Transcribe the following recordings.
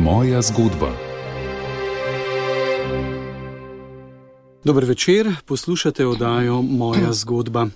Moja zgodba. Dober večer, poslušate oddajo Moja zgodba.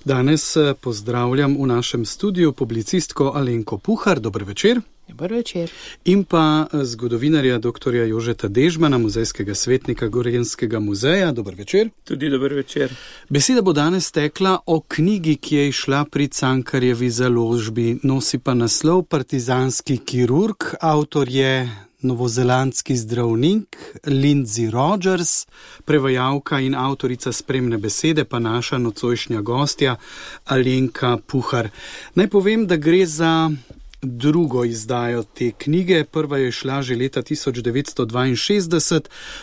Danes pozdravljam v našem studiu publicistko Alenko Puhar. Dober večer. Dober večer. In pa zgodovinarja dr. Jožeta Dežmana, muzejskega svetnika Gorenjskega muzeja. Dober večer. Tudi dober večer. Beseda bo danes tekla o knjigi, ki je izšla pri Cankarjevi založbi. Nosi pa naslov Partizanski kirurg. Avtor je novozelandski zdravnik Lindsay Rogers, prevajalka in avtorica spremne besede pa naša nocojšnja gostja Alenka Puhar. Naj povem, da gre za drugo izdajo te knjige. Prva je šla že leta 1962,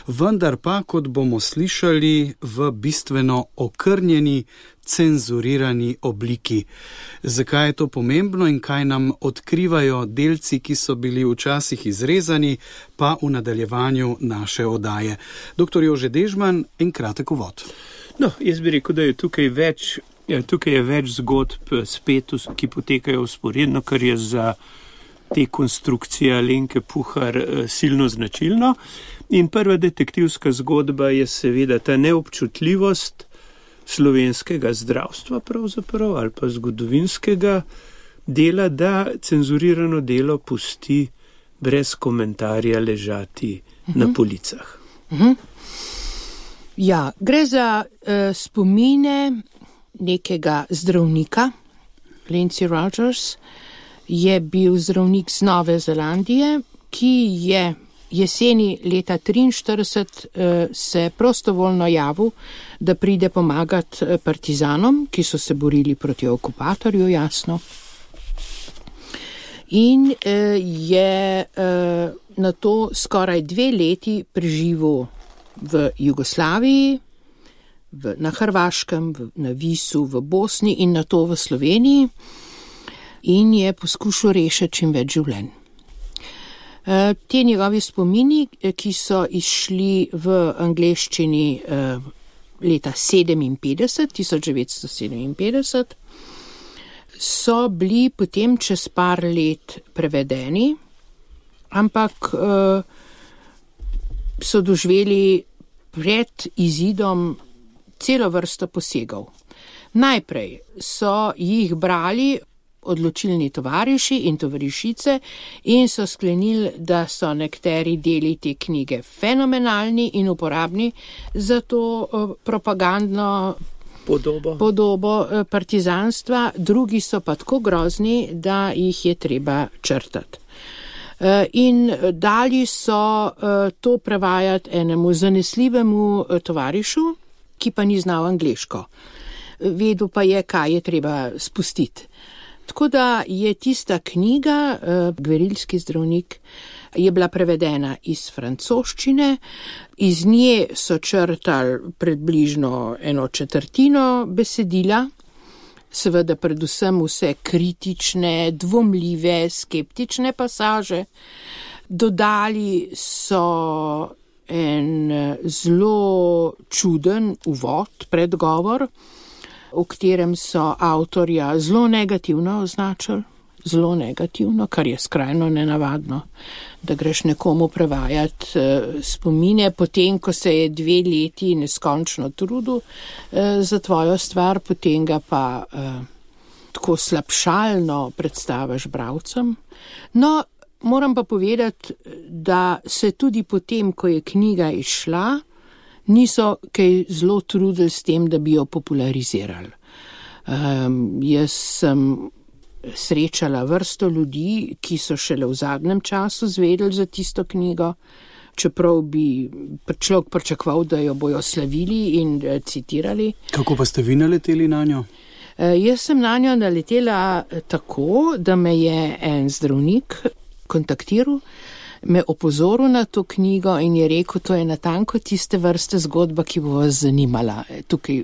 vendar pa, kot bomo slišali, v bistveno okrnjeni, cenzurirani obliki. Zakaj je to pomembno in kaj nam odkrivajo delci, ki so bili včasih izrezani, pa v nadaljevanju naše oddaje. Dr. Jože Dežman, en kratek uvod. No, jaz bi rekel, da je tukaj je več zgodb spet, ki potekajo vzporedno, kar je za te konstrukcije Alenke Puhar silno značilno. In prva detektivska zgodba je seveda ta neobčutljivost slovenskega zdravstva pravzaprav ali pa zgodovinskega dela, da cenzurirano delo pusti brez komentarja ležati na policah. Ja, gre za spomine nekega zdravnika. Lindsay Rogers je bil zdravnik z Nove Zelandije, ki je jeseni leta 1943 se prostovoljno javil, da pride pomagati partizanom, ki so se borili proti okupatorju, jasno. In je na to skoraj 2 leti preživel v Jugoslaviji, na Hrvaškem, na Visu, v Bosni in na to v Sloveniji in je poskušal rešiti čim več življenj. Te njegovi spomini, ki so izšli v angleščini leta 1957, so bili potem čez par let prevedeni, ampak so doživeli pred izidom celo vrsto posegov. Najprej so jih brali odločilni tovariši in tovarišice in so sklenili, da so nekateri deli te knjige fenomenalni in uporabni za to propagandno podobo partizanstva, drugi so pa tako grozni, da jih je treba črtati. In dali so to prevajati enemu zanesljivemu tovarišu, ki pa ni znal angleško. Vedel pa je, kaj je treba spustiti. Tako da je tista knjiga, Gverilski zdravnik, je bila prevedena iz francoščine, iz nje so črtali približno 1/4 besedila, seveda predvsem vse kritične, dvomljive, skeptične pasaže. Dodali so en zelo čuden uvod, predgovor, v katerem so avtorja zelo negativno označili, zelo negativno, kar je skrajno nenavadno, da greš nekomu prevajati spomine, potem, ko se je 2 leti neskončno trudil za tvojo stvar, potem ga pa tako slabšalno predstaviš bralcem. No, moram pa povedati, da se tudi potem, ko je knjiga izšla, niso kaj zelo trudili s tem, da bi jo popularizirali. Jaz sem srečala vrsto ljudi, ki so šele v zadnjem času zvedeli za tisto knjigo, čeprav bi človek pričakoval, da jo bojo slavili in citirali. Kako pa ste vi naleteli na njo? Jaz sem na njo naletela tako, da me je en zdravnik kontaktiral, me opozoril na to knjigo in je rekel, to je natanko tiste vrste zgodba, ki bo vas zanimala. Tukaj je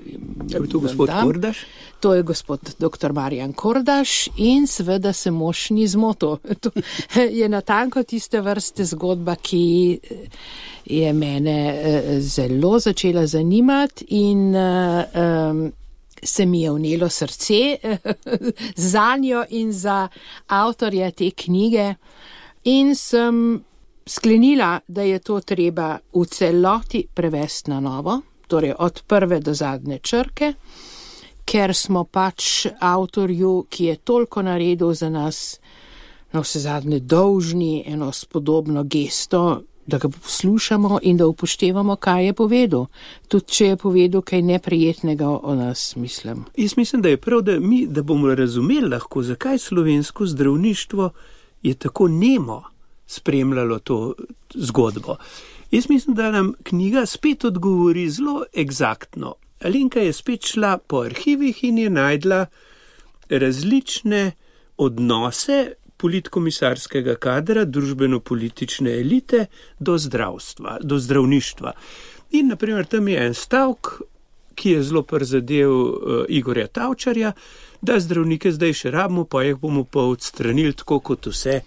to gospod Kordaš? To je gospod dr. Marjan Kordaš in seveda se mož ni zmotil. To je natanko tiste vrste zgodba, ki je mene zelo začela zanimati in se mi je vnelo srce za njo in za avtorja te knjige in sem sklenila, da je to treba v celoti prevesti na novo, torej od prve do zadnje črke, ker smo pač avtorju, ki je toliko naredil za nas, na vse zadnje dolžni eno spodobno gesto, da ga poslušamo in da upoštevamo, kaj je povedal. Tudi če je povedal kaj neprijetnega o nas, mislim. Jaz mislim, da je prav, da bomo razumeli lahko, zakaj slovensko zdravništvo je tako nemo spremljalo to zgodbo. Jaz mislim, da nam knjiga spet odgovori zelo eksaktno. Alenka je spet šla po arhivih in je najdla različne odnose politkomisarskega kadra, družbeno-politične elite do zdravstva, do zdravništva. In naprimer tam je en stavk, ki je zelo prizadel Igorja Tavčarja, da zdravnike zdaj še rabimo, pa jih bomo pa odstranili tako kot vse,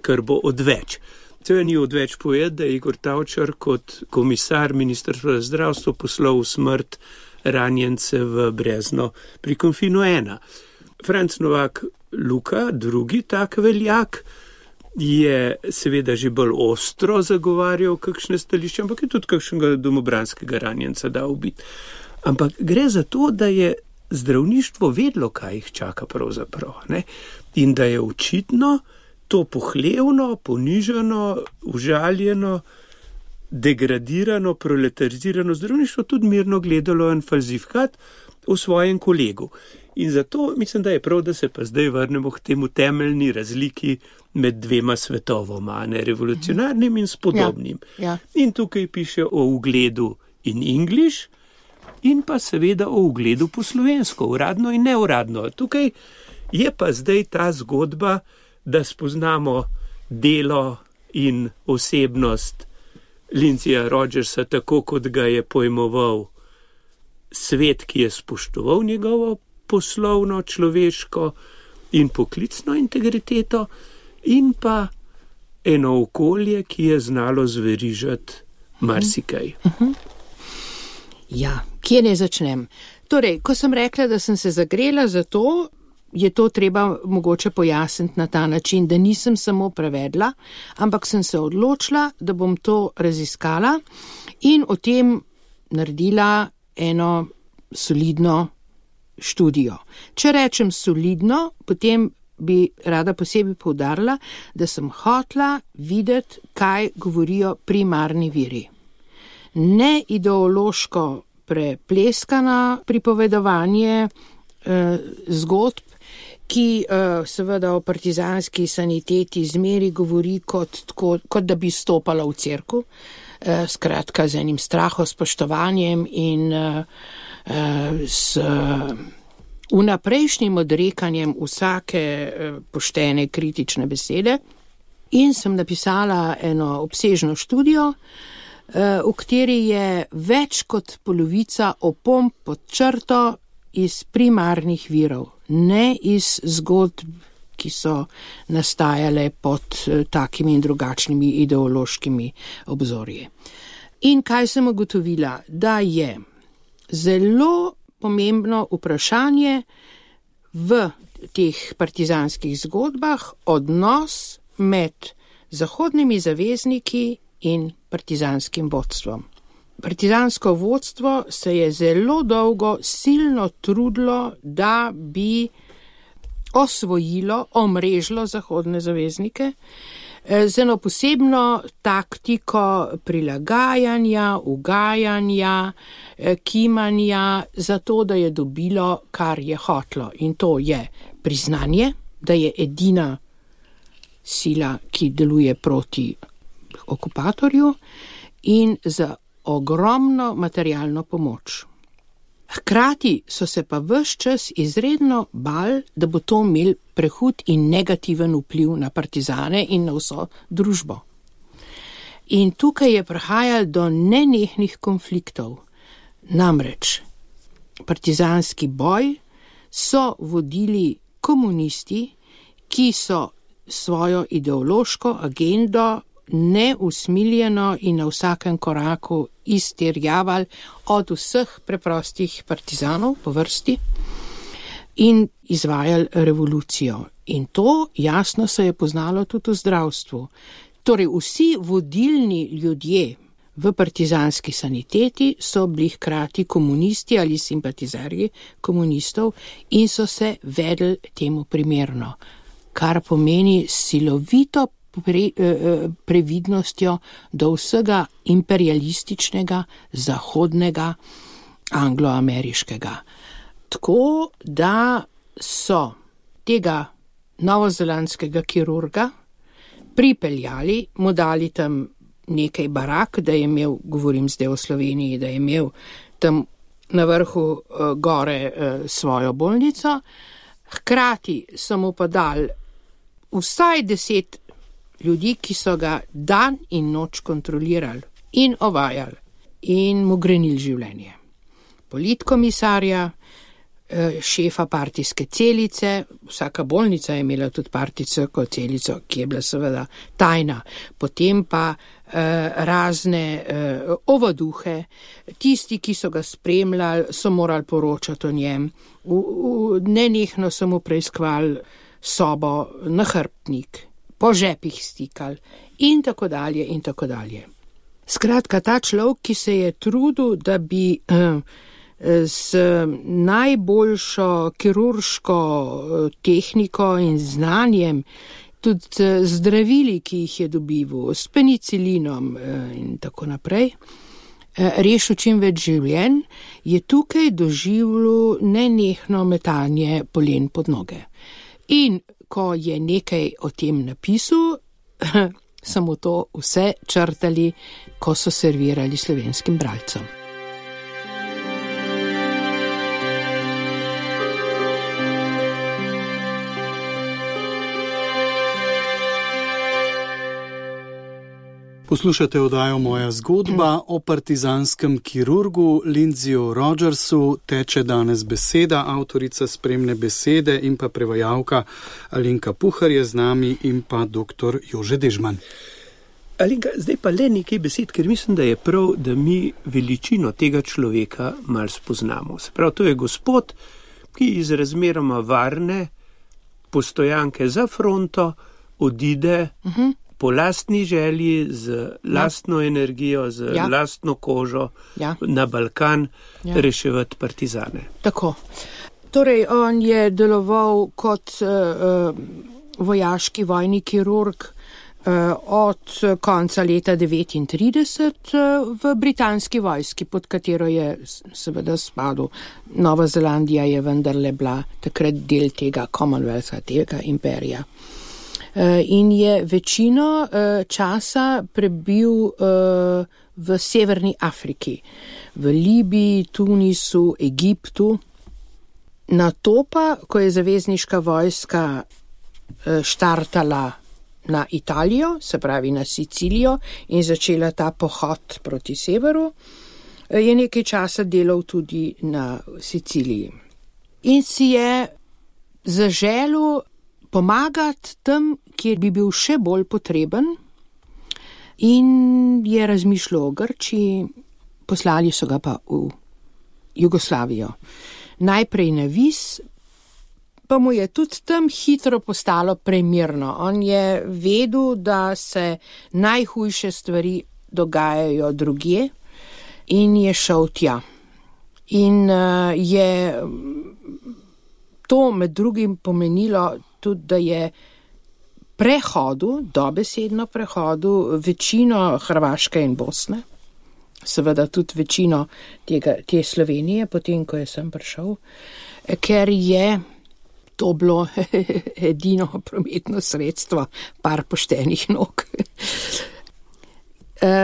kar bo odveč. To ni odveč povedati, da je Igor Tavčar kot komisar Ministrstva za zdravstvo poslal v smrt ranjence v Brezno pri Konfinu 1. Franc Novak Luka, drugi tak veljak, je seveda že bolj ostro zagovarjal kakšne stališče, ampak je tudi kakšnega domobranskega ranjenca dal ubiti. Ampak gre za to, da je zdravništvo vedlo, kaj jih čaka pravzaprav, ne? In da je očitno to pohlevno, ponižano, užaljeno, degradirano, proletarizirano zdravništvo tudi mirno gledalo en falsifikat v svojem kolegu. In zato mislim, da je prav, da se pa zdaj vrnemo k temu temeljni razliki med dvema svetovoma, ne, revolucionarnim in spodobnim. Ja. In tukaj piše o ugledu in English in pa seveda o ugledu po slovensko, uradno in neuradno. Tukaj je pa zdaj ta zgodba, da spoznamo delo in osebnost Lindsaya Rogersa tako, kot ga je pojmoval svet, ki je spoštoval njegovo poslovno, človeško in poklicno integriteto in pa eno okolje, ki je znalo zverižati marsikaj. Ja, kje ne začnem? Torej, ko sem rekla, da sem se zagrela za to, je to treba mogoče pojasniti na ta način, da nisem samo prevedla, ampak sem se odločila, da bom to raziskala in o tem naredila eno solidno študijo. Če rečem solidno, potem bi rada posebej poudarila, da sem hotla videti, kaj govorijo primarni viri. Ne ideološko prepleskana pripovedovanje zgodb, ki seveda o partizanski saniteti zmeri govori kot da bi stopala v cerkev, skratka z enim strahospoštovanjem in s vnaprejšnjim odrekanjem vsake poštene kritične besede. In sem napisala eno obsežno študijo, v kateri je več kot polovica opomb pod črto iz primarnih virov, ne iz zgodb, ki so nastajale pod takimi in drugačnimi ideološkimi obzorji. In kaj sem ugotovila? Da je zelo pomembno vprašanje v teh partizanskih zgodbah odnos med zahodnimi zavezniki in partizanskim vodstvom. Partizansko vodstvo se je zelo dolgo silno trudilo, da bi osvojilo, omrežilo zahodne zaveznike z eno posebno taktiko prilagajanja, ugajanja, kimanja, zato da je dobilo, kar je hotlo. In to je priznanje, da je edina sila, ki deluje proti okupatorju in za ogromno materialno pomoč. Hkrati so se pa ves čas izredno bali, da bo to imel prehud in negativen vpliv na partizane in na vso družbo. In tukaj je prihajalo do nenehnih konfliktov. Namreč partizanski boj so vodili komunisti, ki so svojo ideološko agendo neusmiljeno in na vsakem koraku izterjavali od vseh preprostih partizanov po vrsti in izvajali revolucijo. In to jasno se je poznalo tudi v zdravstvu. Torej, vsi vodilni ljudje v partizanski saniteti so bili hkrati komunisti ali simpatizerji komunistov in so se vedeli temu primerno, kar pomeni silovito previdnostjo do vsega imperialističnega, zahodnega, angloameriškega. Tako da so tega novozelandskega kirurga pripeljali, mu dali tam nekaj barak, da je imel, govorim zdaj o Sloveniji, da je imel tam na vrhu gore svojo bolnico, hkrati so mu pa dali vsaj 10 ljudi, ki so ga dan in noč kontrolirali in ovajali in mu grenili življenje. Politkomisarja, šefa partijske celice, vsaka bolnica je imela tudi partijsko celico, ki je bila seveda tajna, potem pa razne ovaduhe, tisti, ki so ga spremljali, so morali poročati o njem, nenehno so mu preiskovali sobo, nahrbtnik, po žepih stikali in tako dalje in tako dalje. Skratka, ta človek, ki se je trudil, da bi s najboljšo kirurško tehniko in znanjem, tudi zdravili, ki jih je dobival, s penicilinom in tako naprej, rešil čim več življenj, je tukaj doživljal nenehno metanje polen pod noge. In ko je nekaj o tem napisal, samo to vse črtali, ko so servirali slovenskim bralcem. Poslušate oddajo Moja zgodba o partizanskem kirurgu Lindsayju Rogersu. Teče danes beseda, avtorica spremne besede in pa prevajalka Alenka Puhar je z nami in pa dr. Jože Dežman. Alenka, zdaj pa le nekaj besed, ker mislim, da je prav, da mi veličino tega človeka malo spoznamo. Se pravi, to je gospod, ki iz razmeroma varne postojanke za fronto odide po lastni želji, z lastno energijo, z lastno kožo na Balkan reševati partizane. Tako. Torej, on je deloval kot vojaški vojni kirurg od konca leta 1939 v britanski vojski, pod katero je seveda spadal. Nova Zelandija je vendarle bila takrat del tega Commonwealtha, tega imperija. In je večino časa prebil v Severni Afriki, v Libiji, Tunisu, Egiptu. Nato pa, ko je zavezniška vojska štartala na Italijo, se pravi na Sicilijo, in začela ta pohod proti severu, je nekaj časa delal tudi na Siciliji. In si je zaželel pomagati tam, kjer bi bil še bolj potreben, in je razmišljal o Grčiji, poslali so ga pa v Jugoslavijo. Najprej na Vis, pa mu je tudi tam hitro postalo premirno. On je vedel, da se najhujše stvari dogajajo drugje in je šel tja. In je to med drugim pomenilo tudi, da je dobesedno prehodu večino Hrvaške in Bosne, seveda tudi večino te Slovenije, potem, ko je sem prišel, ker je to bilo edino prometno sredstvo, par poštenih nog.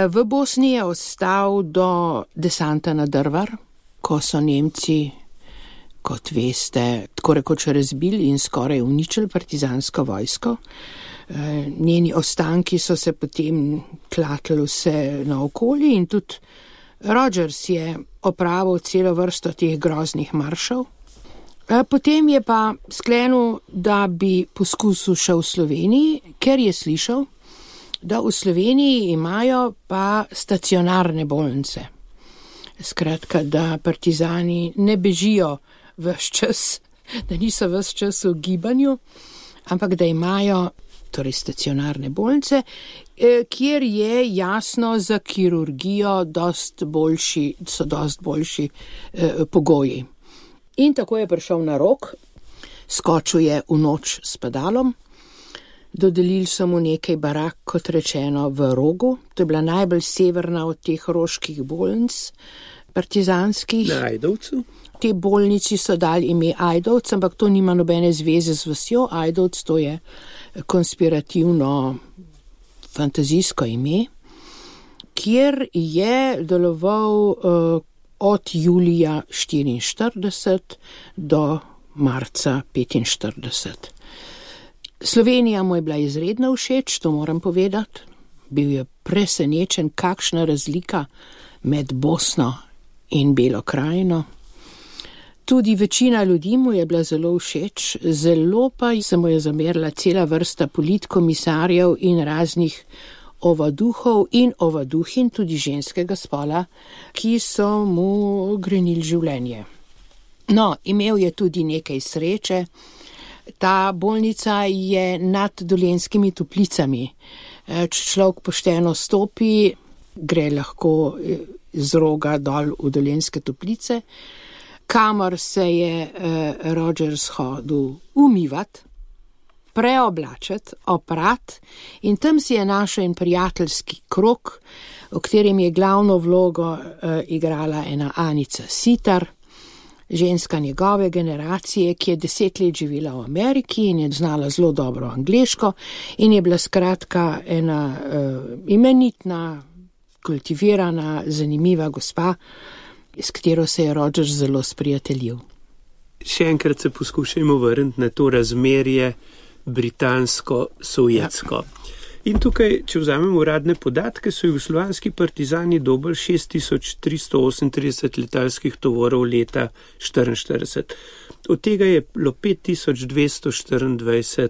V Bosni je ostal do desanta na Drvar, ko so Nemci, kot veste, tako rekoč razbili in skoraj uničili partizansko vojsko. Njeni ostanki so se potem tlatili vse naokoli in tudi Rogers je opravil celo vrsto teh groznih maršev. Potem je pa sklenil, da bi poskusil še v Sloveniji, ker je slišal, da v Sloveniji imajo pa stacionarne bolnice. Skratka, da partizani ne bežijo ves čas, da niso ves čas v gibanju, ampak da imajo torej stacionarne bolnice, kjer je jasno za kirurgijo so dost boljši pogoji. In tako je prišel na Rog, skočil je v noč s padalom, dodelili so mu nekaj barak, kot rečeno, v Rogu, to je bila najbolj severna od teh roških bolnic, partizanskih. Na Ajdovcu? Te bolnici so dali ime Ajdovc, ampak to nima nobene zveze z vasjo. Ajdovc to je konspirativno fantazijsko ime, kjer je deloval od julija 1944 do marca 1945. Slovenija mu je bila izredno všeč, to moram povedati. Bil je presenečen, kakšna razlika med Bosno in Belo krajino. Tudi večina ljudi mu je bila zelo všeč, zelo pa se mu je zamerila cela vrsta politkomisarjev in raznih ovaduhov in ovaduhin, tudi ženskega spola, ki so mu grenili življenje. No, imel je tudi nekaj sreče. Ta bolnica je nad Dolenjskimi Toplicami. Če človek pošteno stopi, gre lahko z Roga dol v Dolenjske Toplice, kamor se je Rogers hodil umivati, preoblačiti, oprat, in tam si je našel en prijateljski krog, v katerem je glavno vlogo igrala ena Anica Sitar, ženska njegove generacije, ki je 10 let živela v Ameriki in je znala zelo dobro angleško in je bila skratka ena imenitna, kultivirana, zanimiva gospa, s katero se je Rogers zelo sprijateljil. Še enkrat se poskušajmo vrniti na to razmerje britansko-sovjetsko. Ja. In tukaj, če vzamemo uradne podatke, so jugoslovanski partizani dobili 6338 letalskih tovorov leta 1944. Od tega je bilo 5224,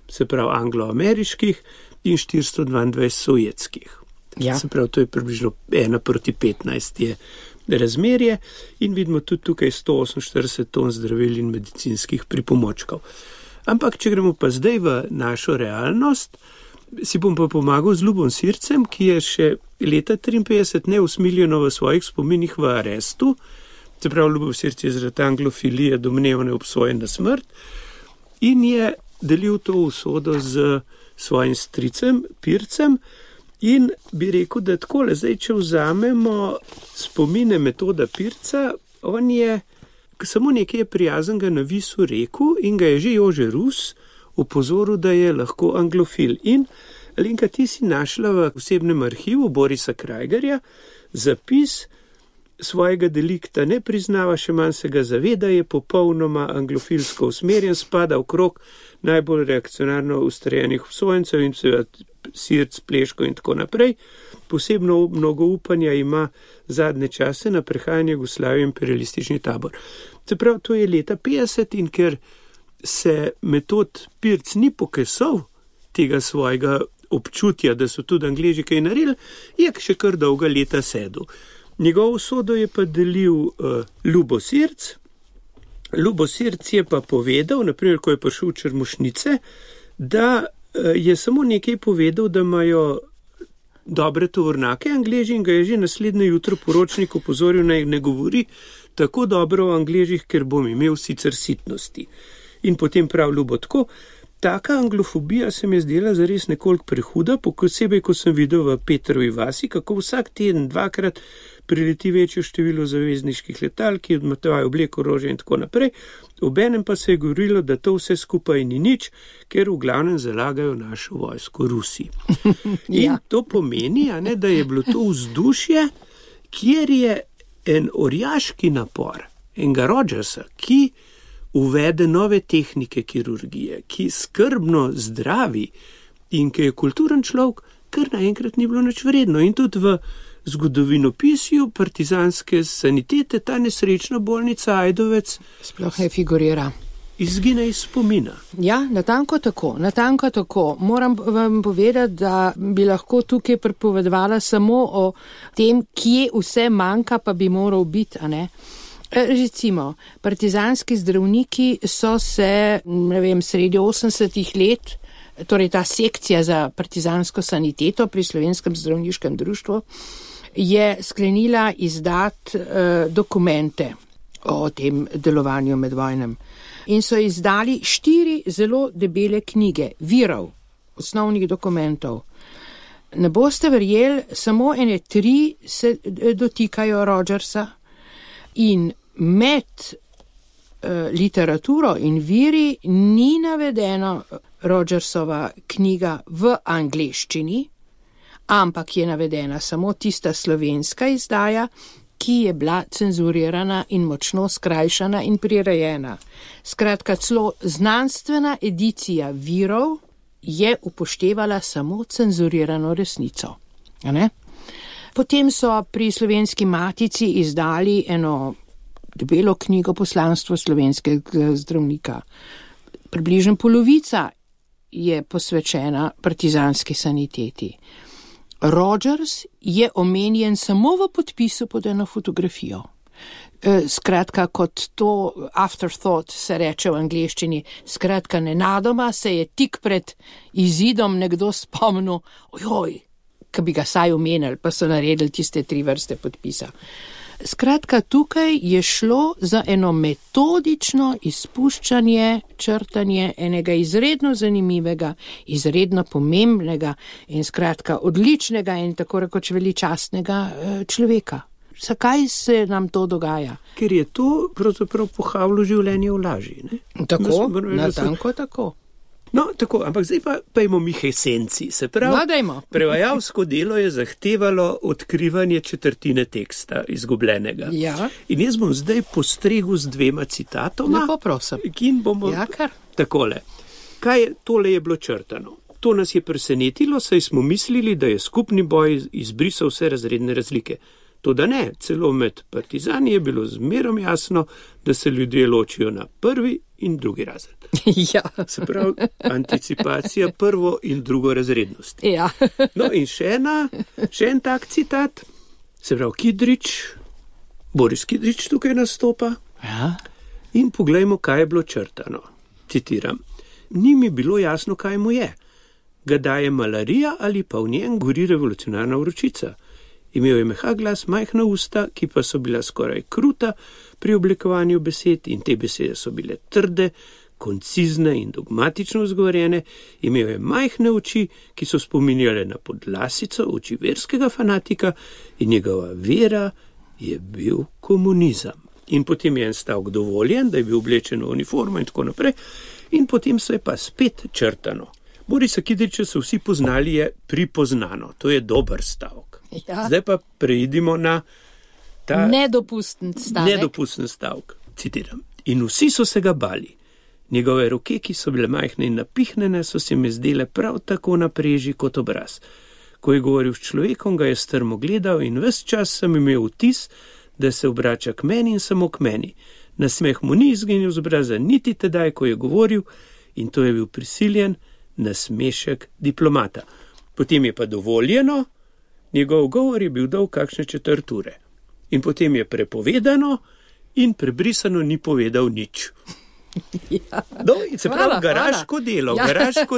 se pravi, anglo-ameriških in 422 sovjetskih. Ja. Se pravi, to je približno 1:15 je razmerje in vidimo tudi tukaj 148 ton zdravil in medicinskih pripomočkov. Ampak, če gremo pa zdaj v našo realnost, si bom pa pomagal z Ljubom Sircem, ki je še leta 1953 neusmiljeno v svojih spominih v arestu, se pravi, Ljubov Sirc je zaradi anglofilije domnevno obsojen na smrt in je delil to usodo z svojim stricem, Pircem, in bi rekel, da takole, zdaj, če vzamemo spomine Metoda Pirca, on je samo nekaj prijaznega na Visu rekel in ga je že Jože Rus opozoril, da je lahko anglofil. In Alenka, ti si našla v osebnem arhivu Borisa Krajgerja zapis svojega delikta, ne priznava, še manj se ga zaveda, je popolnoma anglofilsko usmerjen, spada v krog najbolj reakcionarno ustrejenih obsojencev in Sirc, Pleško in tako naprej. Posebno mnogo upanja ima zadnje čase na prehajanje Jugoslavije imperialistični tabor. Se pravi, to je leta 50 in ker se Metod Pirc ni pokesal tega svojega občutja, da so tudi Angleži kaj naredili, je še kar dolga leta sedel. Njegovo usodo je pa delil Ljubo Sirc. Ljubo Sirc je pa povedal, naprimer, ko je prišel v Črmušnice, da je samo nekaj povedal, da imajo dobre tovornake Angleži in ga je že naslednje jutro poročnik opozoril, naj ne govori tako dobro o Angležih, ker bom imel sicer sitnosti. In potem prav Ljubo tako, taka anglofobija se mi je zdela zares nekoliko prehuda, posebej, ko sem videl v Petrovi vasi, kako vsak teden dvakrat prileti večjo število zavezniških letal, ki odmetevajo obleko, orožje in tako naprej. Obenem pa se je govorilo, da to vse skupaj ni nič, ker v glavnem zalagajo našo vojsko Rusi. In to pomeni, da je bilo to vzdušje, kjer je en orjaški napor, enega Rogersa, ki uvede nove tehnike kirurgije, ki skrbno zdravi in ki je kulturen človek, kar naenkrat ni bilo nič vredno. In tudi v zgodovinopisju partizanske sanitete ta nesrečna bolnica Ajdovec sploh ne figurira. Izgine iz spomina. Ja, natanko tako. Moram vam povedati, da bi lahko tukaj pripovedovala samo o tem, kje vse manjka, pa bi moral biti, a ne? Recimo, partizanski zdravniki so se, sredi 80-ih let torej ta sekcija za partizansko saniteto pri Slovenskem zdravniškem društvu, je sklenila izdati dokumente o tem delovanju med vojnem. In so izdali 4 zelo debele knjige virov, osnovnih dokumentov. Ne boste verjeli, samo 3 se dotikajo Rogersa in med literaturo in viri ni navedeno Rogersova knjiga v angleščini, ampak je navedena samo tista slovenska izdaja, ki je bila cenzurirana in močno skrajšana in prirejena. Skratka, celo znanstvena edicija virov je upoštevala samo cenzurirano resnico. Potem so pri Slovenski matici izdali eno debelo knjigo Poslanstvo slovenskega zdravnika. Približno polovica je posvečena partizanski saniteti. Rogers je omenjen samo v podpisu pod eno fotografijo. Skratka, kot to afterthought se reče v angleščini, skratka, nenadoma se je tik pred izidom nekdo spomnil, ki bi ga saj omenili, pa so naredili tiste 3 vrste podpisa. Skratka, tukaj je šlo za eno metodično izpuščanje, črtanje enega izredno zanimivega, izredno pomembnega in skratka odličnega in tako rekoč veličastnega človeka. Zakaj se nam to dogaja? Ker je to pravzaprav pohavilo življenje v laži, ne? Tako, natanko tako. No, tako, ampak zdaj pa imamo mi esenci. Se pravi, prevajalsko delo je zahtevalo odkrivanje četrtine teksta izgubljenega. Ja. In jaz bom zdaj postregel z 2 citatoma. Lepo prosim. In bomo takole. Tole je bilo črtano. To nas je presenetilo, saj smo mislili, da je skupni boj izbrisal vse razredne razlike. Toda ne, celo med partizani je bilo zmerom jasno, da se ljudje ločijo na 1. in 2. razred. Ja. Se pravi, anticipacija 1. in 2. razrednosti. Ja. No in še en tak citat, se pravi Kidrič, Boris Kidrič tukaj nastopa. Ja. In poglejmo, kaj je bilo črtano. Citiram. Ni mi bilo jasno, kaj mu je. Ga daje malarija ali pa v njem gori revolucionarna vročica. Imel je mehak glas, majhna usta, ki pa so bila skoraj kruta pri oblikovanju besed in te besede so bile trde, koncizne in dogmatično izgovorjene. Imel je majhne oči, ki so spominjale na podlasico oči verskega fanatika in njegova vera je bil komunizem. In potem je en stavek dovoljen, da je bil oblečen v uniformo in tako naprej. In potem se je pa spet črtano. Borisa Kidriča so vsi poznali, je pripoznano. To je dober stavek. Ja. Zdaj pa preidimo na ta nedopusten stavek. Citiram. In vsi so se ga bali. Njegove roke, ki so bile majhne in napihnjene, so se mi zdele prav tako na preži kot obraz. Ko je govoril s človekom, ga je strmo gledal in ves čas sem imel vtis, da se obrača k meni in samo k meni. Nasmeh mu ni izginil z obraza niti tedaj, ko je govoril, in to je bil prisiljen nasmešek diplomata. Potem je pa dovoljeno, njegov govor je bil dolg kakšne 4 ure. In potem je prepovedano in prebrisano ni povedal nič. Ja. No, in se pravi, garaško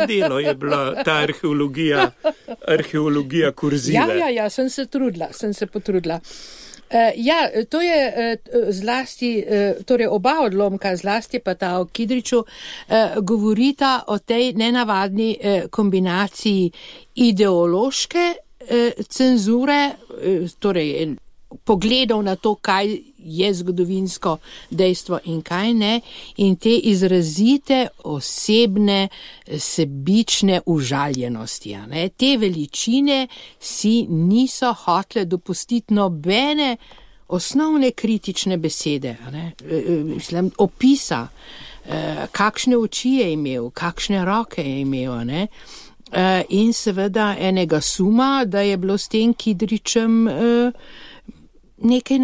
delo je bila ta arheologija kurzive. Ja, sem se potrudila. To je zlasti, torej oba odlomka, zlasti pa ta o Kidriču, govorita o tej nenavadni kombinaciji ideološke cenzure, torej pogledov na to, kaj je zgodovinsko dejstvo in kaj ne, in te izrazite osebne, sebične užaljenosti. Te veličine si niso hotle dopustiti nobene osnovne kritične besede, opisa, kakšne oči je imel, kakšne roke je imel, in seveda enega suma, da je bilo s tem Kidričem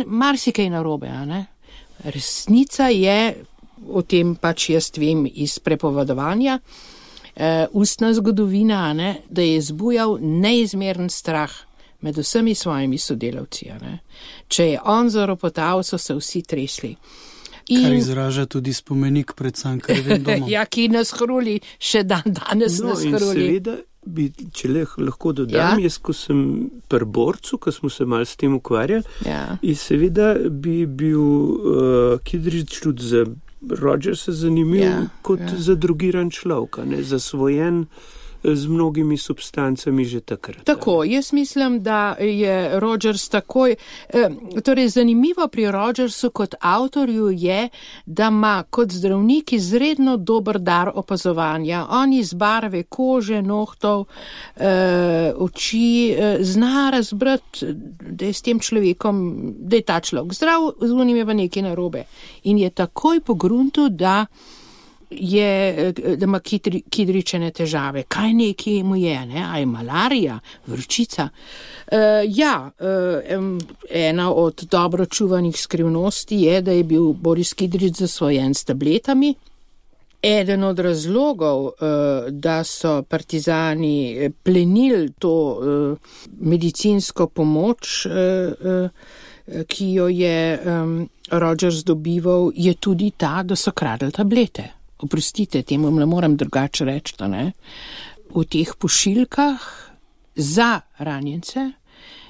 marsikaj narobe. Resnica je, o tem pač jaz vem iz prepovedovanja, ustna zgodovina, da je zbujal neizmeren strah med vsemi svojimi sodelavci. Če je on zaropotal, so se vsi tresli. Kar izraža tudi spomenik pred Cankarjevim domom. Ja, ki nas hruli, še danes nas hruli. In seveda bi, če lahko dodam, jaz, ko sem pri Borcu, ko smo se malo s tem ukvarjali, in seveda bi bil Kidrič tudi za Rogersa zanimiv kot zadrugiran človek, zasvojen z mnogimi substancami že takrat. Tako, jaz mislim, da je Rogers takoj, torej zanimivo pri Rogersu kot avtorju je, da ima kot zdravnik izredno dober dar opazovanja. On iz barve kože, nohtov, oči zna razbrati, da je s tem človekom, da je ta človek zdrav, z unim je pa nekaj narobe. In je takoj pogruntil, da ima Kidričene težave. Kaj nekaj mu je, ne? A je malarija, vročica? Ena od dobro čuvanih skrivnosti je, da je bil Boris Kidrič zasvojen s tabletami. Eden od razlogov, da so partizani plenili to medicinsko pomoč, ki jo je Rogers dobival, je tudi ta, da so kradli tablete. Oprostite, temu ne moram drugače reči, ne? V teh pošiljkah za ranjence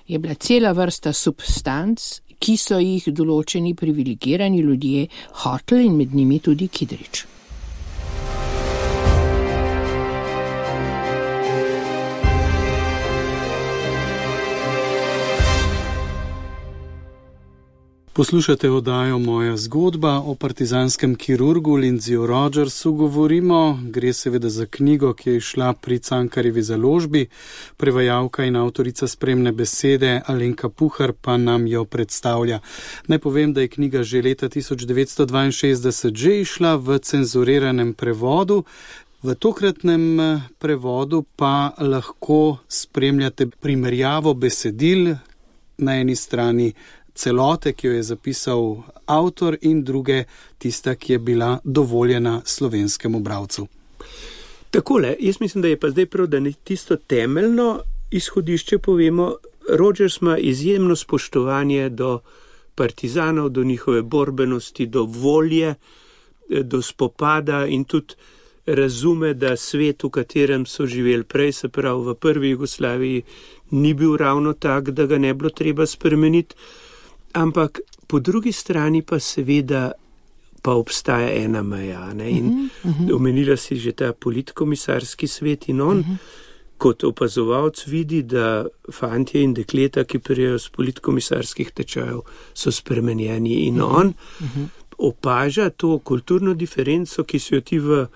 je bila cela vrsta substanc, ki so jih določeni privilegirani ljudje hoteli in med njimi tudi Kidrič. Poslušate oddajo Moja zgodba o partizanskem kirurgu Lindsayju Rogersu govorimo. Gre seveda za knjigo, ki je išla pri Cankarjevi založbi. Prevajalka in avtorica spremne besede Alenka Puhar pa nam jo predstavlja. Naj povem, da je knjiga že leta 1962 že išla v cenzuriranem prevodu. V tokratnem prevodu pa lahko spremljate primerjavo besedil, na eni strani celote, ki jo je zapisal avtor, in druge tista, ki je bila dovoljena slovenskemu bralcu. Takole, jaz mislim, da je pa zdaj prav, da tisto temeljno izhodišče povemo. Rogers ima izjemno spoštovanje do partizanov, do njihove borbenosti, do volje, do spopada in tudi razume, da svet, v katerem so živeli prej, se pravi v prvi Jugoslaviji, ni bil ravno tak, da ga ne bilo treba spremeniti. Ampak po drugi strani pa seveda pa obstaja ena meja. Ne? In omenila si že ta politkomisarski svet in on kot opazovalc vidi, da fantje in dekleta, ki prijejo z politkomisarskih tečajev, so spremenjeni. In on opaža to kulturno diferenco, ki so jo ti v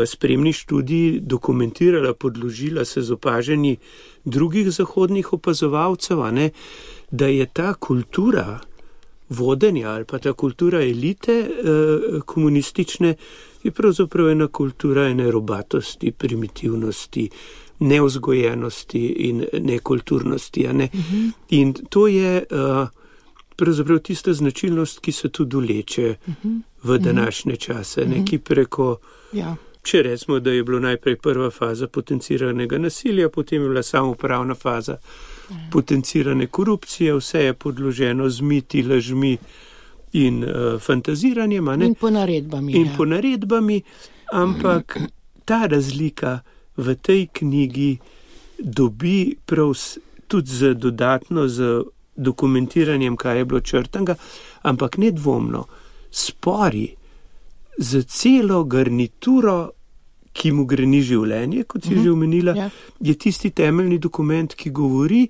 spremni študiji dokumentirala, podložila se z opaženji drugih zahodnih opazovalcev, da je ta kultura vodenja ali pa ta kultura elite komunistične je pravzaprav ena kultura ene robatosti, primitivnosti, neuzgojenosti in nekulturnosti. In to je pravzaprav tista značilnost, ki se tudi vleče v današnje čase, ki preko, če recimo, da je bilo najprej prva faza potenciranega nasilja, potem je bila samoupravna faza potencirane korupcije, vse je podloženo z miti, lažmi in fantaziranjem. In ponaredbami. Ponaredbami, ampak ta razlika v tej knjigi dobi prav tudi dodatno z dokumentiranjem, kaj je bilo črtanga, ampak nedvomno spori za celo garnituro, ki mu greni življenje, kot si že omenila, je tisti temeljni dokument, ki govori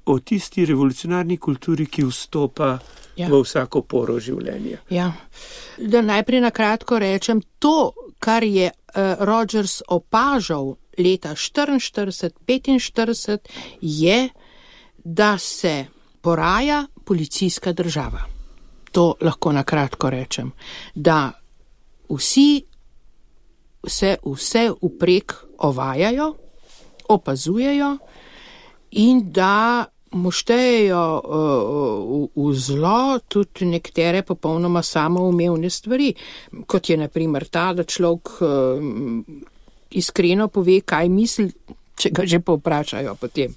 o tisti revolucionarni kulturi, ki vstopa v vsako poro življenja. Da najprej na kratko rečem, to, kar je Rogers opažal leta 1944-1945, je, da se poraja policijska država. To lahko na kratko rečem. Da vsi se vse vprek ovajajo, opazujejo in da mu štejejo v zlo tudi nekatere popolnoma samoumevne stvari, kot je na primer ta, da človek iskreno pove, kaj misli, če ga že povprašajo potem.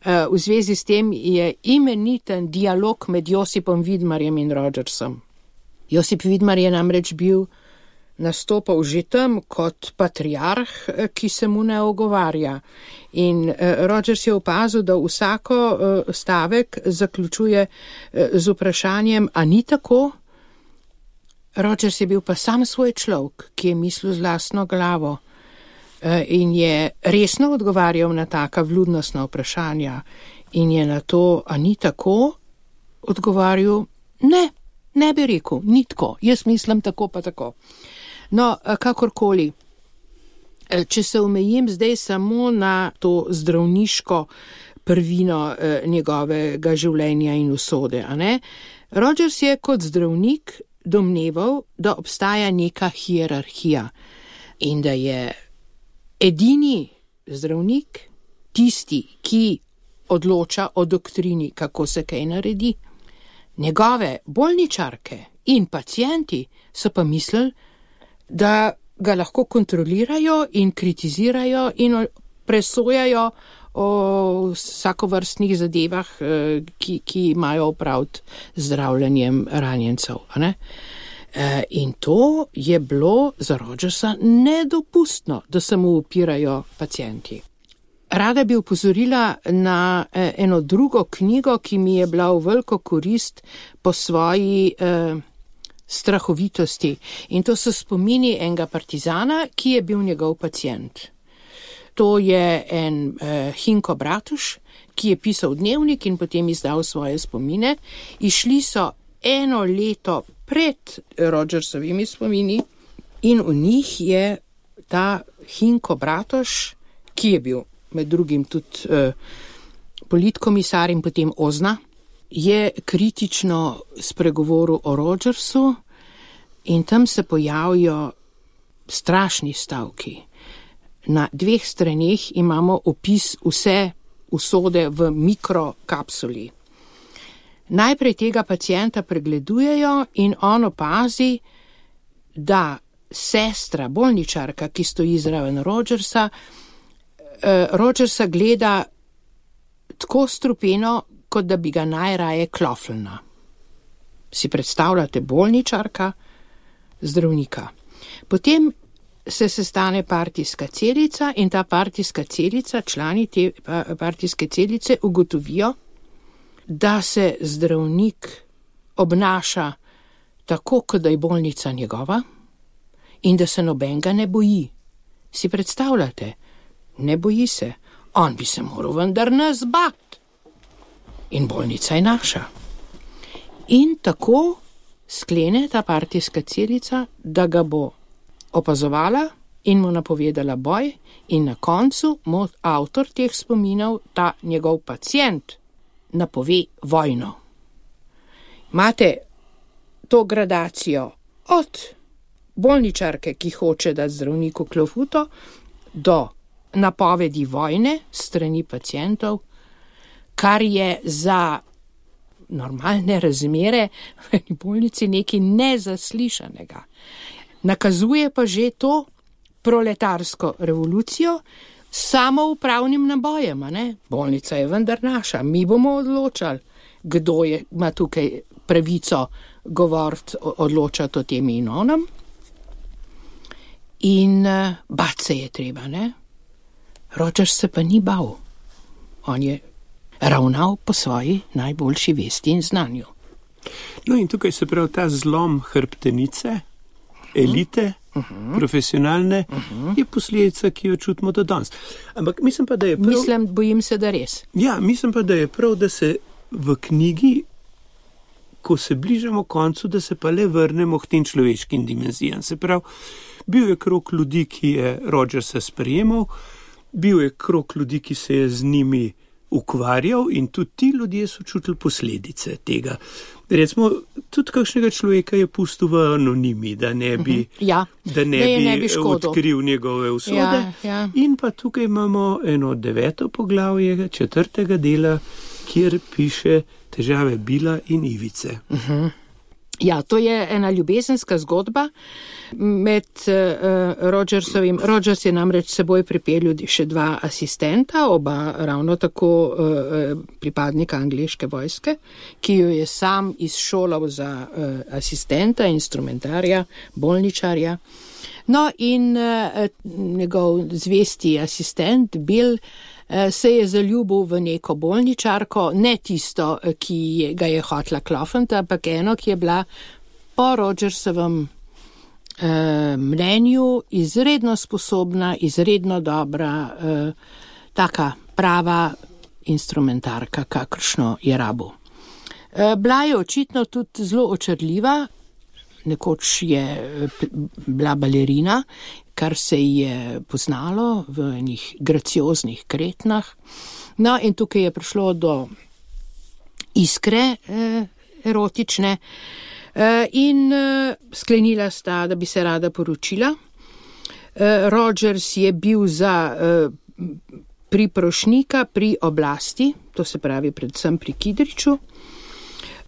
V zvezi s tem je imeniten dialog med Josipom Vidmarjem in Rogersom. Josip Vidmar je namreč nastopal že tam kot patriarh, ki se mu ne ogovarja. In Rogers je opazil, da vsako stavek zaključuje z vprašanjem, a ni tako? Rogers je bil pa sam svoj človek, ki je mislil z lastno glavo in je resno odgovarjal na taka vljudnostna vprašanja in je na to, a ni tako, odgovarjal, ne bi rekel, ni tako, jaz mislim tako pa tako. No, kakorkoli, če se omejim zdaj samo na to zdravniško prvino njegovega življenja in usode, a ne? Rogers je kot zdravnik domneval, da obstaja neka hierarhija in da je edini zdravnik tisti, ki odloča o doktrini, kako se kaj naredi. Njegove bolničarke in pacienti so pa mislili, da ga lahko kontrolirajo in kritizirajo in presojajo o vsakovrstnih zadevah, ki imajo opraviti zdravljenjem ranjencev. Ne? In to je bilo za Rogersa nedopustno, da se mu upirajo pacienti. Rada bi upozorila na eno drugo knjigo, ki mi je bila v veliko korist po svoji strahovitosti. In to so spomini enega partizana, ki je bil njegov pacient. To je en Hinko Bratuš, ki je pisal dnevnik in potem izdal svoje spomine. Išli so 1 leto pred Rogersovimi spomini in v njih je ta Hinko Bratuš, ki je bil med drugim tudi politkomisar in potem Ozna, je kritično spregovoril o Rogersu in tam se pojavijo strašni stavki. Na 2 straneh imamo opis vse usode v mikrokapsuli. Najprej tega pacienta pregledujejo in on opazi, da sestra, bolničarka, ki stoji zraven Rogersa gleda tako strupeno, kot da bi ga najraje kloflna. Si predstavljate bolničarka, zdravnika. Potem se sestane partijska celica in ta partijska celica, člani te partijske celice ugotovijo, da se zdravnik obnaša tako, kot da je bolnica njegova in da se nobenega ne boji. Si predstavljate? Ne boji se. On bi se moral vendar nas bati. In bolnica je naša. In tako sklene ta partijska celica, da ga bo opazovala in mu napovedala boj in na koncu mu avtor teh spominov, ta njegov pacient, napove vojno. Imate to gradacijo od bolničarke, ki hoče dati zdravniku klofuto, do napovedi vojne strani pacientov, kar je za normalne razmere v bolnici nekaj nezaslišanega. Nakazuje pa že to proletarsko revolucijo s samoupravnim nabojem, ne? Bolnica je vendar naša, mi bomo odločali, kdo ima tukaj pravico govoriti, odločati o tem in onem. In bati se je treba, ne? Rogers se pa ni bal. On je ravnal po svoji najboljši vesti in znanju. No in tukaj se pravi ta zlom hrbtenice, elite, profesionalne, je posledica, ki jo čutimo do danes. Ampak mislim pa, da je prav... Bojim se, da res. Ja, mislim pa, da je prav, da se v knjigi, ko se bližamo koncu, da se pa le vrnemo k tem človeškim dimenzijam. Se pravi, bil je krog ljudi, ki je Rogersa sprejemal, bil je krog ljudi, ki se je z njimi ukvarjal in tudi ti ljudje so čutili posledice tega. Recimo, tudi kakšnega človeka je pustil v anonimi, da ne bi, da ne bi odkril njegove usode. Ja. In pa tukaj imamo eno 9. poglavje 4. dela, kjer piše težave Bila in Ivice. Ja, to je ena ljubezenska zgodba med Rogersovim. Rogers je namreč seboj pripeljal še 2 asistenta, oba ravno tako pripadnika angleške vojske, ki jo je sam izšolal za asistenta, instrumentarja, bolničarja. No in njegov zvesti asistent Bill se je zaljubil v neko bolničarko, ne tisto, ki ga je hotla klofniti, ampak eno, ki je bila po Rogersovem mnenju izredno sposobna, izredno dobra, taka prava instrumentarka, kakršno je rabil. Bila je očitno tudi zelo očarljiva, nekoč je bila balerina, kar se je poznalo v enih gracioznih kretnah. No, in tukaj je prišlo do iskre erotične in sklenila sta, da bi se rada poročila. Rogers je bil za priprošnika pri oblasti, to se pravi predvsem pri Kidriču.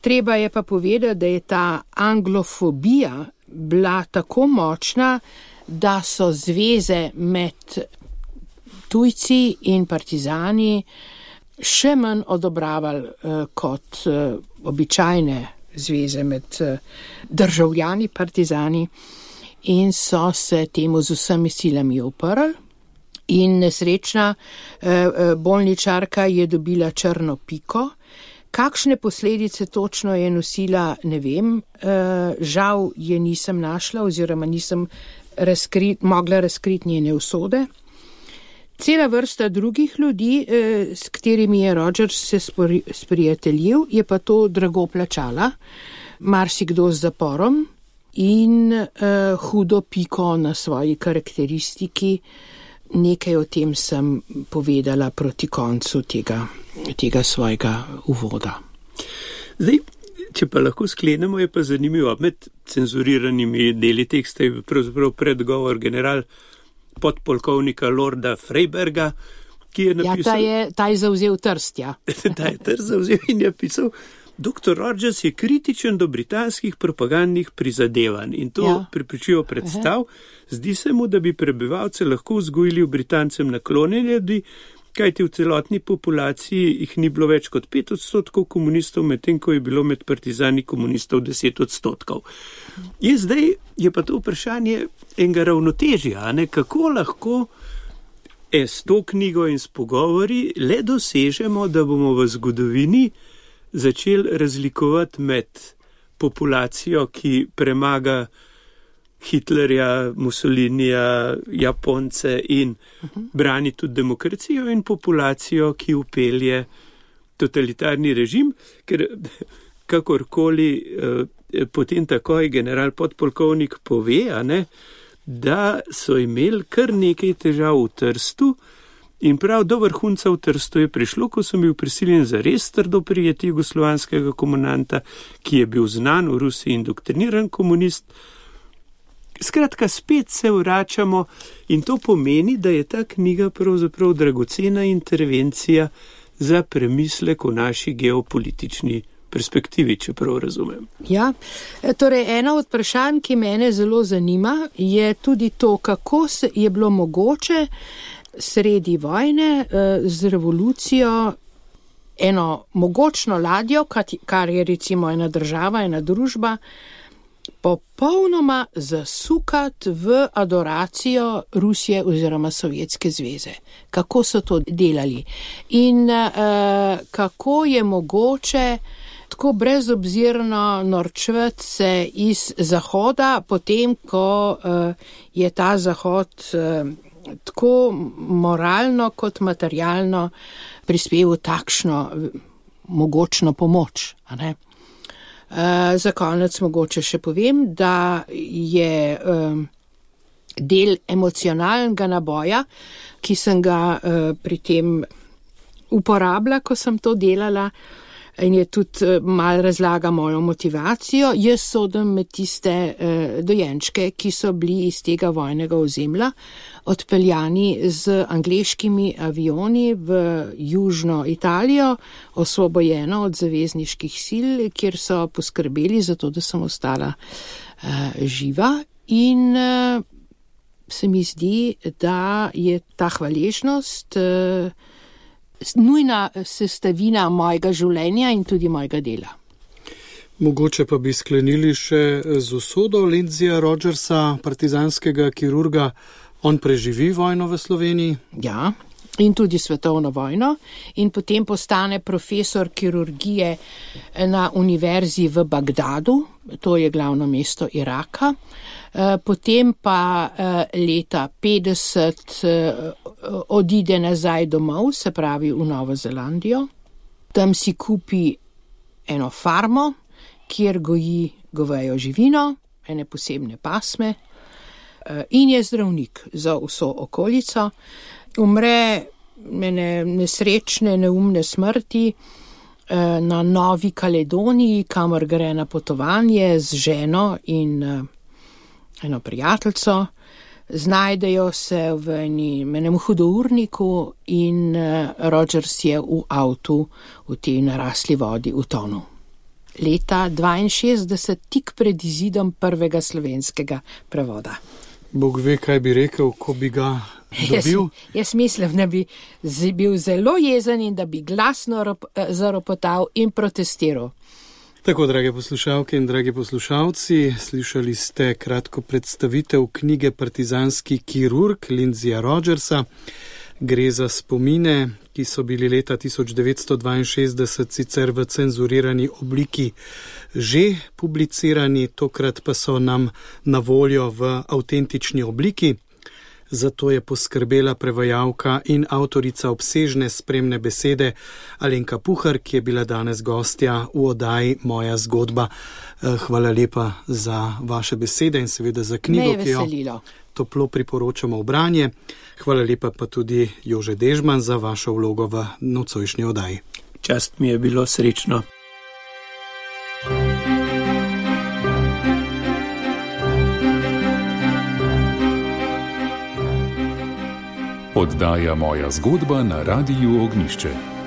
Treba je pa povedati, da je ta anglofobija bila tako močna, da so zveze med tujci in partizani še manj odobravali kot običajne zveze med državljani partizani in so se temu z vsemi silami uprli. In nesrečna bolničarka je dobila črno piko. Kakšne posledice točno je nosila, ne vem, žal je nisem našla oziroma nisem mogla razkriti njene usode. Cela vrsta drugih ljudi, s katerimi je Rogers se sprijateljil, je pa to drago plačala, marsikdo z zaporom in hudo piko na svoji karakteristiki. Nekaj o tem sem povedala proti koncu tega svojega uvoda. Zdaj, če pa lahko sklenemo, je pa zanimivo, med cenzuriranimi deli teksta je pravzaprav predgovor general podpolkovnika Lorda Freiberga, ki je napisal... Ja, ta je zavzel Trst, ja. Ta je Trst zavzel in je pisal, Dr. Rogers je kritičen do britanskih propagandnih prizadevanj in to prepričljivo predstav. Zdi se mu, da bi prebivalce lahko vzgojili v Britancem naklonjene ljudi, kajti v celotni populaciji jih ni bilo več kot 5% komunistov, medtem ko je bilo med partizani komunistov 10%. In zdaj je pa to vprašanje enega ravnotežja, kako lahko s to knjigo in s pogovori le dosežemo, da bomo v zgodovini začeli razlikovati med populacijo, ki premaga Hitlerja, Mussolinija, Japonce in brani tudi demokracijo in populacijo, ki upelje totalitarni režim, ker kakorkoli potem takoj general podpolkovnik pove, da so imeli kar nekaj težav v Trstu in prav do vrhunca v Trstu je prišlo, ko so bil prisiljen zares trdo prijeti jugoslovanskega komandanta, ki je bil znan v Rusiji indoktriniran komunist. Skratka, spet se vračamo in to pomeni, da je ta knjiga pravzaprav dragocena intervencija za premislek o naši geopolitični perspektivi, če prav razumem. Ja, torej eno od vprašanj, ki mene zelo zanima, je tudi to, kako je bilo mogoče sredi vojne z revolucijo eno mogočno ladjo, kar je recimo ena država, ena družba, popolnoma zasukati v adoracijo Rusije oziroma Sovjetske zveze. Kako so to delali in kako je mogoče tako brezobzirno norčevati se iz Zahoda, potem ko je ta Zahod tako moralno kot materialno prispeval takšno mogočno pomoč, a ne? Za konec mogoče še povem, da je del emocionalnega naboja, ki sem ga pri tem uporabila, ko sem to delala, in je tudi mal razlaga mojo motivacijo. Jaz sodim med tiste dojenčke, ki so bili iz tega vojnega ozemlja odpeljani z angleškimi avioni v južno Italijo, osvobojeno od zavezniških sil, kjer so poskrbeli za to, da sem ostala živa. In se mi zdi, da je ta hvaležnost nujna sestavina mojega življenja in tudi mojega dela. Mogoče pa bi sklenili še z usodo Lindsaya Rogersa, partizanskega kirurga. On preživi vojno v Sloveniji? Ja, in tudi svetovno vojno, in potem postane profesor kirurgije na univerzi v Bagdadu, to je glavno mesto Iraka. Potem pa leta 50 odide nazaj domov, se pravi v Novo Zelandijo. Tam si kupi eno farmo, kjer goji govejo živino, ene posebne pasme, in je zdravnik za vso okolico. Umre nesrečne, neumne smrti na Novi Kaledoniji, kamor gre na potovanje z ženo in eno prijateljico. Znajdejo se v enem hudourniku in Rogers je v avtu v tej narasli vodi utonil. Leta 62, tik pred izidom prvega slovenskega prevoda. Bog ve, kaj bi rekel, ko bi ga dobil. Jaz mislim, da bi bil zelo jezen in da bi glasno zaropotal in protestiral. Tako, drage poslušalke in dragi poslušalci, slišali ste kratko predstavitev knjige Partizanski kirurg Lindsaya Rogersa. Gre za spomine, ki so bili leta 1962 sicer v cenzurirani obliki že publicirani, tokrat pa so nam na voljo v avtentični obliki. Zato je poskrbela prevajalka in avtorica obsežne spremne besede Alenka Puhar, ki je bila danes gostja v oddaji Moja zgodba. Hvala lepa za vaše besede in seveda za knjigo, ki jo toplo priporočamo v branje. Hvala lepa pa tudi Jože Dežman za vašo vlogo v nocojšnji oddaji. Čast mi je bilo, srečno. Oddaja Moja zgodba na Radiu Ognjišče.